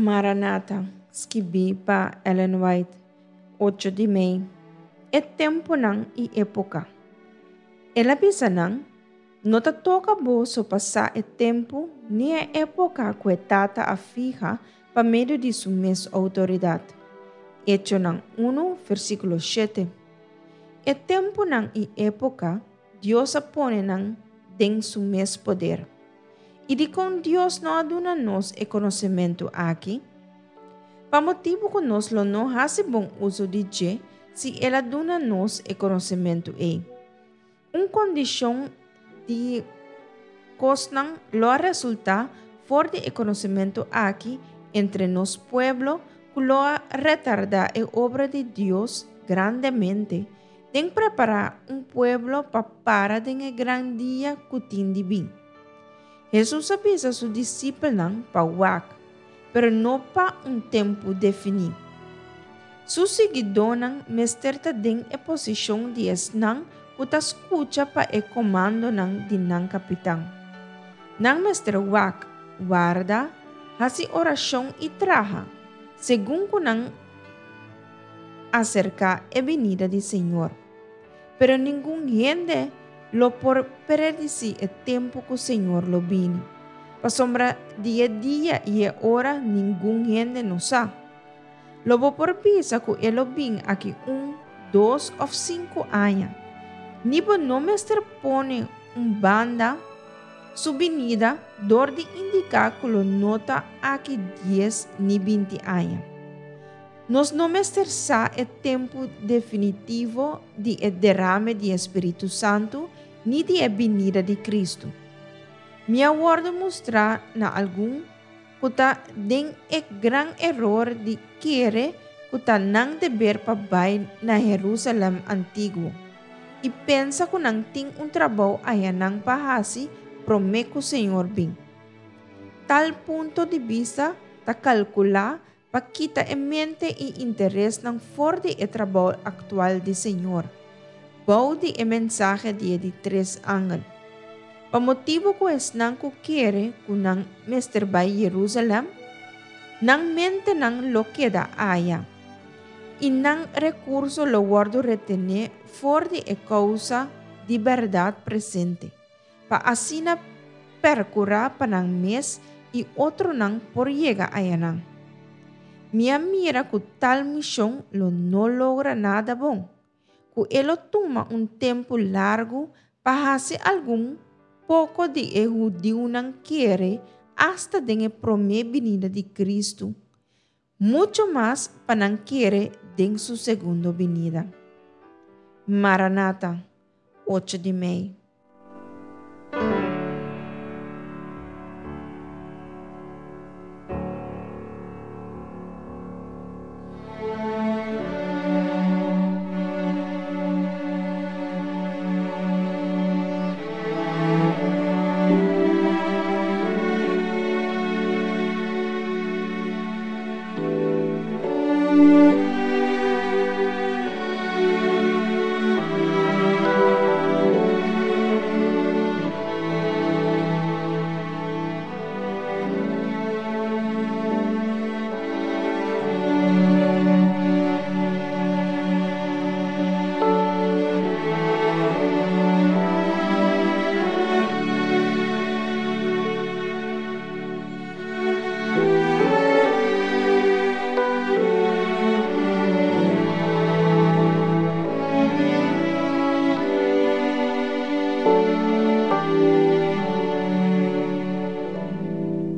Maranata, skibí pa Ellen White, ocho di mei, E tempunan i époka. El a bisa nan, No ta toka boso pa sa e tempu ni e époka ku e Tata a fiha pa medio di su mes outoridat. Echonan unu, versíkulo shete. E tempunan i époka, Dios a pone nan den su mes poder. I dikon Dios no a duna nos e konosementu aki? Pa motibu ku nos lo no hasi bon uso di dje si el a duna nos e konosementu ei. Un kondishon di kosnan lo a resultá for di e konosementu aki entre nos pueblo ku lo a retardá e obra di Dios grandemente den prepará un pueblo pa para den e gran dia ku tin di bin. Hesus a bisa su disipelnan pa wak, pero no pa un tempu definí. Su siguidónan mester ta den e posishon di esnan ku ta skucha pa e komandonan di nan kapitan. Nan mester wak, warda, hasi orashon i traha, segun ku nan aserká e binida di Señor. Pero ningun hende lo por predisí e tempu ku Señor lo bini, pasobra di e dia i e ora ningun hende no sa. Lo bo por bisa ku e lo bin aki un, dos òf sinku aña. Ni bo no mester pone un banda su binida dor di indiká ku lo no ta aki dies ni binti aña. Nos no mester sa e tempu definitivo di e derame di e Spiritu Santu ni di e binida di Kristu. Mi a wòrdu mustrá na algun ku ta den e gran eror di kere ku ta nan deber pa bai na Herusalèm antiguo i pensa ku nan tin un trabou ayanan pa hasi promé ku Señor bin. Tal punto di bista ta kalkulá Pa kita e mente i interesnan for di e trabou aktual di Señor, bou di e mensahe di e di tres angel. Pa motibu ku esnan ku kere ku nan mester bai Jerusalèm, nan mentenan lo keda aya, i nan rekurso lo wòrdu retené for di e kousa di bèrdat presente. Pa asina percura pa nan mes y otronan por yega ayanan. Mi a mira cu tal mision lo no logra nada bon, cu e lo tuma un tempu largu pa haci algun poco di e hudiunan kere hasta den e prome binida di Cristo, mucho mas pa nan kere den su segundo binida. Maranata, ocho di mei.